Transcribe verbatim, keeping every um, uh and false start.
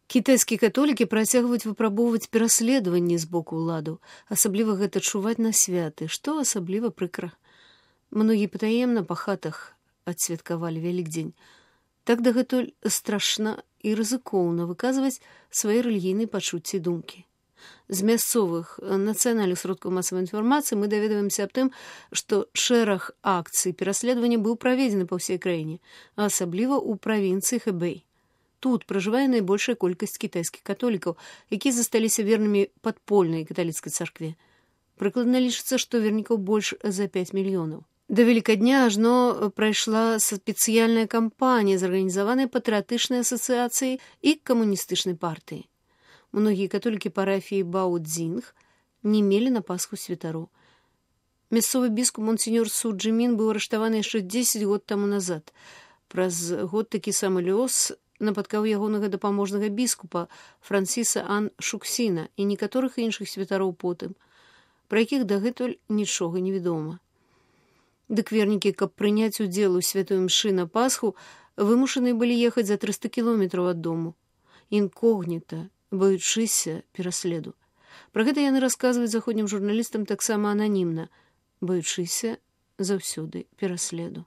Кітайскія католікі працягваюць выпрабоўваць пераследаванні з боку ўладаў, асабліва гэта чуваць на святы, што асабліва прыкра. Многія патаемна па хатах адсвяткавалі Вялікдзень. Так дагэтуль страшна і рызыкоўна выказваць свае рэлігійныя пачуцці і думкі. З мясцовых нацыянальных сродкаў масавай інфармацыі мы даведваемся аб тым, што шэраг акцый пераследавання быў праведзены па ўсей краіне, а асабліва ў правінцыі Хэбэй. Тут пражывае найбольшая колькасць кітайскіх католікаў, якія засталіся вернымі падпольнай каталіцкай царкве. Прыкладна лічыцца, што вернікаў больш за пяць мільёнаў. Да Велікадня ажно прайшла спецыяльная кампанія, зарганізаваная патрыятычнай асацыяцыяй і камуністычнай партыяй. Многія католікі парафіі Бао-Дзінг не мелі на Пасху святароў. Мясцовы біскуп монсеньор Су Джымін быў арыштаваны яшчэ дзесяць год таму назад. Праз год такі самы лёс напаткаў ягонага дапаможнага біскупа Франсіса Ан Шуксіна і некаторых іншых святароў потым, пра якіх дагэтуль нічога не вядома. Дык вернікі, каб прыняць удзел у святой імшы на Пасху, вымушаныя былі ехаць за трыста кіламетраў ад дому. Інкогніта, баючыся пераследу. Пра гэта яны расказваюць заходнім журналістам таксама ананімна, баючыся заўсёды пераследу.